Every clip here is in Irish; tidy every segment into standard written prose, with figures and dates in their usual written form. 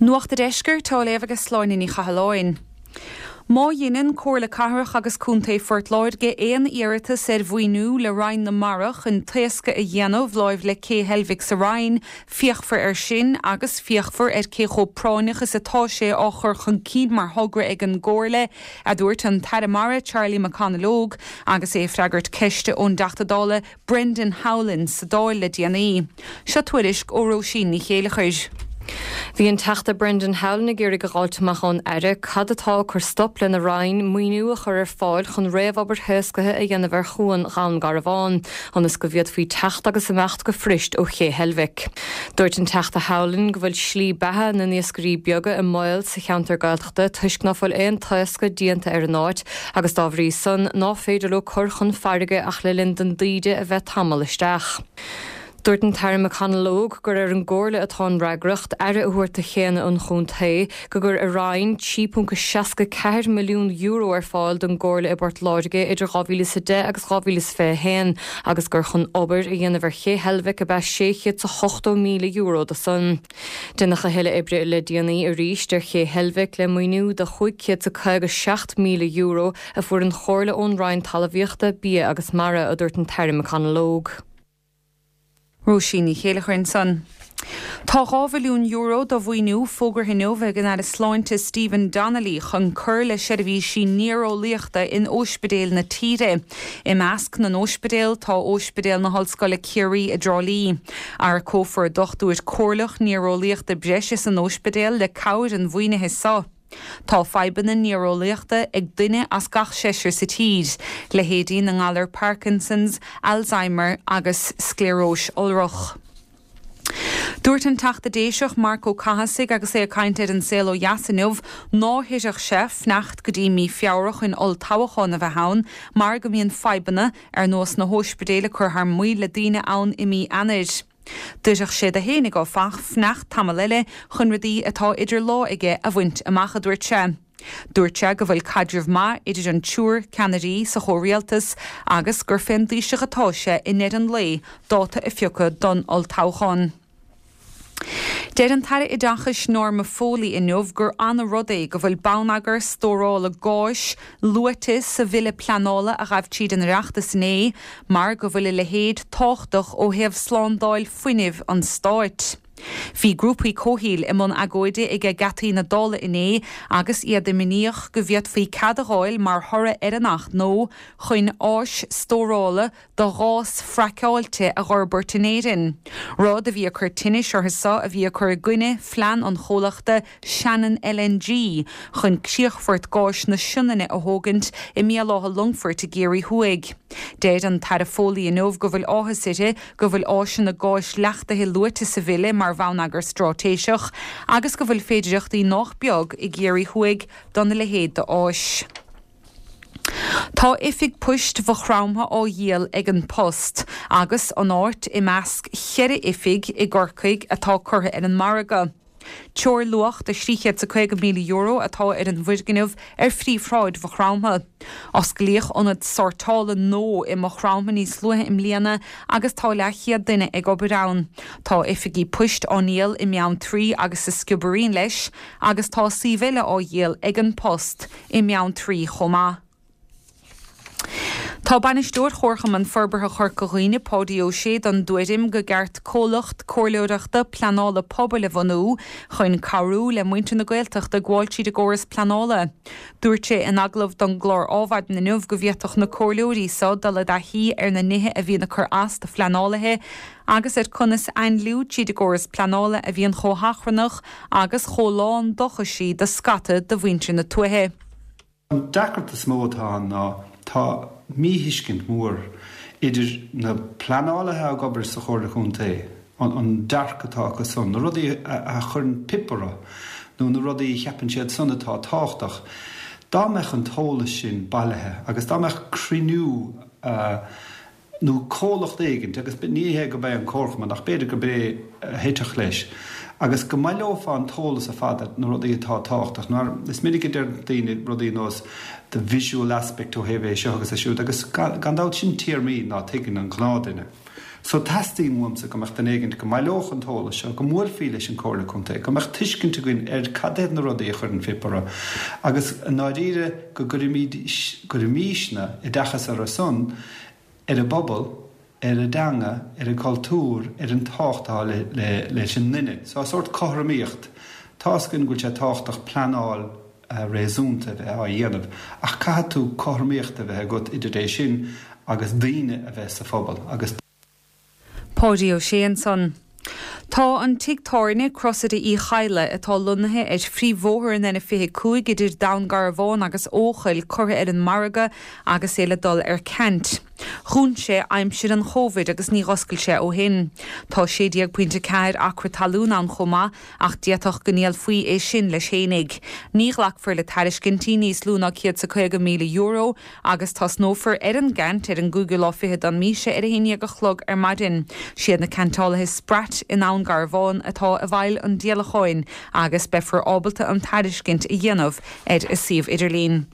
Nuacht a' Deiscirt á léamh ag Sláine Ní Chathalláin. Má dheineann Comhairle Cathrach agus Contae Phort Láirge aon iarratas ar mhaoiniú le Roinn na Mara chun taoscadh a dhéanamh láimh le Cé Heilbhic sa Rinn, féachfar air sin agus féachfar ar cé chomh práinneach is atá sé á chur chun cinn mar thogra ag an gComhairle, a dúirt an tAire Mara Charlie McConalogue agus é ag freagairt ceiste ón dTeachta Dála Brendan Howlin sa Dáil le déanaí. Seo tuairisc ó Róisín Ní Chéileachair. Bhí an Teachta Brendan Howlin ag iarraidh a dh'fháilt amach ón Aire cad atá ag cur stop lena Roinn maoiniú a chur ar fáil chun réamhobair thaoscaithe a dhéanamh ar chuan Dhún Garbhán ionas go bhféadfaí teacht agus imeacht go fuirist ó Ché Heilbhic. Dúirt an Teachta Howlin go bhfuil slí beatha na n-iascairí beaga i mbaol sa cheantar Gaeltachta toisc ná fuil aon taoscadh déanta ar an áit agus dá bhrí san ná féidir leo cur chun farraige ach le linn don dtaoide a bheith tamall isteach. Dúirt an tAire McConalogue gur ar an gComhairle atá an fhreagracht aire a thabhairt do chéanna an chontae, go gcuir a Roinn €3.64 milliún ar fáil don gComhairle i bPort Láirge idir 2010 agus 2021 agus gur chun obair a dhéanamh ar Ché Heilbhic ab ea €680,000 de san. Deineadh a thuilleadh oibre le déanaí arís ar Ché Heilbhic le maoiniú de €557,000 a fuair an Chomhairle ón Roinn Talmhaíochta, Bia agus Mara, a dúirt an tAire McConalogue. Róisín Ní Chéileachair ansan. Tá €2 mhilliún de mhaoiniú fógartha inniu ag an Aire Sláinte Stephen Donnelly chun cur le seirbhísí néareolaíochta in óispidéil na tíre. I measc na n-óispidéal tá Óispidéal na hOllscoile Ciarraí i dTrá Lí. Earcófar dochtúir comhairleach néareolaíochta breise san óispidéal le cabhair an mhaoinithe seo. Tá fadhbanna néareolaíochta ag duine as gach seisear sa tír, leithéidí na ngalar Parkinson's, Alzheimer agus scléaróis iolrach. Dúirt an Teachta Déiseach Marc Ó Cathasaigh agus é ag caint ar An Saol Ó Dheas inniu ná hoirfeadh sé fanacht go dtí mí Feabhra chun olltoghchán a bheith ann mar go mbíonn fadhbanna ar nós na hóispidéil ag cur thar maoil le daoine ann i mí Eanáir. D'oirfeadh sé do fhéinig áfach fanacht tamall eile chun rudaí atá idir lámha aige a bhaint amach, a dúirt sé. Dúirt sé go bhfuil caidreamh maith idir an triúr ceannairí sa chomhrialtas agus gur fén dTaoiseach atá sé i ndeireadh an lae dáta a phiocadh don olltoghchán. Deir an tAire Oideachais Norma Foley inniu gur ana-rud é go bhfuil bonneagar stórála gáis luaite sa bhille pleanála a ghabh tríd an Oireachtas inné mar go bhfuil a leithéid tábhachtach ó thaobh slándáil fuinnimh an stáit. Bhí grúpaí comhshaoil i mbun agóide ag geataí na Dála inné agus iad imníoch go bhféadfaí cead a dh'fháil mar thoradh ar an Acht nua chun áis stórála do ghás fraiceáilte a dh'fhorbairt in Éirinn, rud a bhí ag cur tinnis orthu so a bhí ag cur i gcoinne phlean an chomhlachta Shannon LNG chun críochfort gáis na Sionainne a thógaint i mBéal Átha Longfoirt i gCiarraí Thuaidh. Deir an tAire Foley inniu go bhfuil áthas uirthi go bhfuil áiseanna gáis leachtaithe luaite sa bhille mar bhonneagar stráitéiseach agus go bhfuil féidireachtaí nách beag i gCiarraí Thuaidh dona leithéid d'áis. Tá oifig poist Mhaigh Chromtha á dhíol ag An Post agus an áit i measc cheithre oifig i gCorcaigh atá curtha ar an margadh. Teoirluach de €350,000 atá ar an bhfoirgneamh ar phríomhshráid Mhaigh Chromtha. Osclaíodh ionad sórtála nua i Maigh Chromtha níos luaithe i mbliana agus tá leathchéad duine ag obair ann. Tá oifigí poist á ndíol i mBeanntraí agus sa Sciobairín leis agus tá suíomh eile á dhíol ag An Post i mBeanntraí chomh maith. Tá Bainisteoir Chomharchumann Forbartha Chorca Dhuibhne, Páidí Ó Sé, den dtuairim go gceart comhlacht comhairleoireachta pleanála pobail a bhunú chun cabhrú le muintir na Gaeltachta gabháil tríd an gcóras pleanála. Dúirt sé in agallamh don gclár Ádhmhaidin inniu go bhféadfadh na comhairleoirí so dul i dtaithí ar na nithe a bhíonn ag cur as do phleanálaithe agus ar conas ainliú tríd an gcóras pleanála a bhíonn chomh hachrannach agus chomh lán d'eochaisí do scata de mhuintir na tuaithe. An deacracht is mó atá ann ná tá míthuiscint mhór idir na pleanálaithe ag obair sa Chomhairle Chontae, an dearcadh atá acu san, na rudaí a chuireann pip orthu nó na rudaí a cheapann siad san atá tábhachtach. Dá mbeadh an t-eolas sin bailithe agus dá mbeadh cruinniú nó comhlacht éigint, agus ní hé gurb é an Comharchumann, ach b'fhéidir gurb é a thitfeadh leis, agus go mbaileofá an t-eolas ar fad ar na rudaí atá tábhachtach. Mar is minic a deir daoine rudaí ar nós the visual aspect ó thaobh é seo agus é siúd, agus gan dabht sin téarmaí ná tuigeann an gnáthduine. So teastaíonn uaimse go mbeadh duine éigint go mbaileodh an t-eolas seo, go mbuailfí leis an Comhairle Contae, go mbeadh tuiscint againn ar cad iad na rudaí a chuireann fip orthu agus i ndáiríre go gcuirfimid, gcuirfimísne oideachas orthu san, ar an bpobal, ar an dteanga, ar an gcultúr, ar an tábhacht atá le leis an nduine. So sórt cothromaíocht. Tá's againn go bhfuil sé tábhachtach pleanáil réasúnta a bheith á dhéanamh ach caithfidh tú cothromaíocht a bheith agat idir é sin agus daoine a bheith sa phobal agus. Páidí Ó Sé ansan. Tá an tigh tábhairne, Crosaire Uí Chadhla, atá lonnaithe ar phríomhbhóthar an N25 idir Dún Garbhán agus Eochaill curtha ar an margadh agus é le dul ar ceant. Dhún sé aimsir an Chóivid agus ní dh'oscail sé ó shin. Tá 16.4 acra talún ann chomh maith ach d'fhéadfadh go ndíolfaí é sin leis fhéinig. Ní ghlacfar le tairiscintí níos lú ná €150,000 agus tosnófar ar an gceant ar an gcúigiú lá fichead den mhí seo ar a haon dhéag a chlog ar maidin. Siad na ceantálaithe Spratt i nDún Garbhán atá i bhfeighil an díolacháin agus beifear ábalta an tairiscint a dhéanamh ar a suíomh idirlín.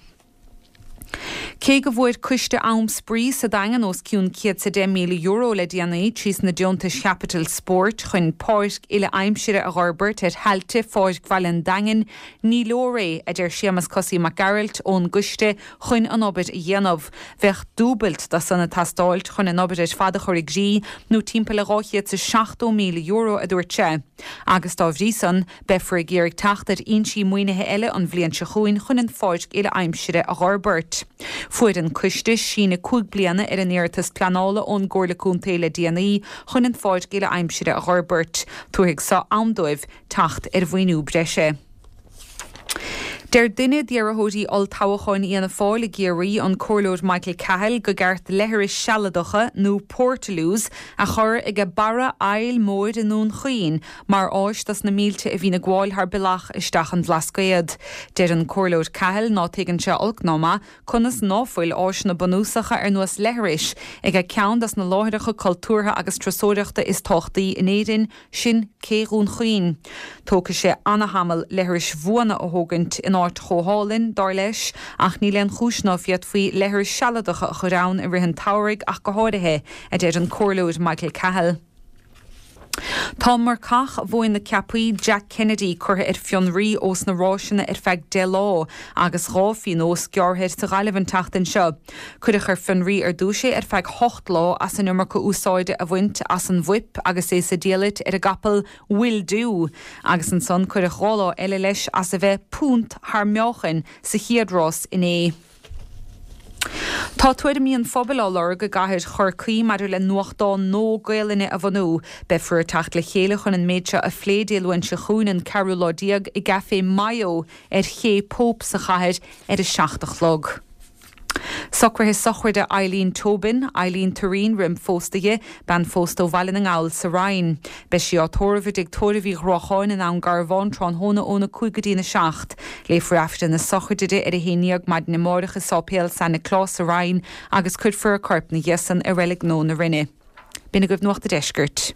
Cé go bhfuair Coiste Am Spraoi sa Daingean os cionn €110,000 le déanaí trí sna deontais chaipitil spóirt chun páirc uile-aimsire a dh'fhorbairt ar thailte Pháirc Bhaile an Daingin, ní leor é, a deir Séamus Cosaí Mac Gearailt ón gcoiste chun an obair a dhéanamh. Bheadh dúbailt de san ag teastáilt chun an obair ar fad a chur i gcrích, nó timpeall le €270,000, a dúirt sé. Agus dá bhrí san, Beifear ag iarraidh teacht ar fhoinsí maoinithe eile an bhliain seo chugainn chun an pháirc uile-aimsire a dh'fhorbairt. Fuair an coiste síneadh 5 bliana ar an iarratas pleanála ón gComhairle Contae le déanaí chun an pháirc uile-aimsire a dh'fhorbairt. Tabharfaidh so am dóibh teacht ar mhaoiniú breise. Deir duine d'iarrthóirí olltoghcháin Fhianna Fáil i gCiarraí, an Comhairleoir Michael Cahill, go gceart leithris sealadacha, nó portaloos, a chur age barra Aill Mhóir i nDún Chaoin mar áis dos na mílte a bhíonn ag gabháil thar bealach isteach an Bhlascaod. Deir an Comhairleoir Cahill ná tuigeann sé olc ná maith conas ná fuil áiseanna bunúsacha ar nós leithris age ceann dos na láithreacha cultúrtha agus turasóireachta is tábhachtaí in Éirinn, sin Cé Dhún Chaoin. Tógfaidh sé ana-thamall leithris bhuana a thógaint in áit chomh hálainn, dar leis, ach níl aon chúis ná féadfaí leithris sealadacha a chur ann i rith an tsamhraidh ach go háirithe, a deir an Comhairleoir Michael Cahill. Tá marcach Mhóin na Ceapaí, Jack Kennedy, curtha ar fionraí ós na ráiseanna ar feadh 10 lá agus 2 phionós gearrtha air sa Ghaillimh an tseachtain seo. Cuireadh ar fionraí ar dtús é ar feadh 8 lá as an iomarca úsáide a bhaint as an bhfuip agus é sa diallait ar an gcapall Will Do agus ansan cuireadh 2 lá eile leis as a bheith punt thar meáchain sa chéad rás inné. Tá tuairimí an phobail á lorg i gcathair Chorcaí maidir le nuachtán nua Gaelainne a bhunú. Beifear ag teacht le chéile chun an méid seo a phlé Dé Luain seo chugainn, an ceathrú lá déag, i gCafé Mayo ar Ché Pope sa chathair ar a 7 a chlog. Socruithe sochraide Eileen Tobin, Eileen Tureen roim phósta di, bean phósta ó Bhaile na nGall sa Rinn. Beidh sí á tórramh i dTigh Tórraimh Uí Ghruacháin i nDún Garbhán tráthnóna óna 5 go dtína 7. Léifear Aifreann na sochraide di ar a haon dhéag maidin amáireach i Sáipéal San Nioclás sa Rinn agus cuirfear a corp 'na dhiaidh san i Reilig Nua na Rinne. B'in agaibh Nuacht a' Deiscirt.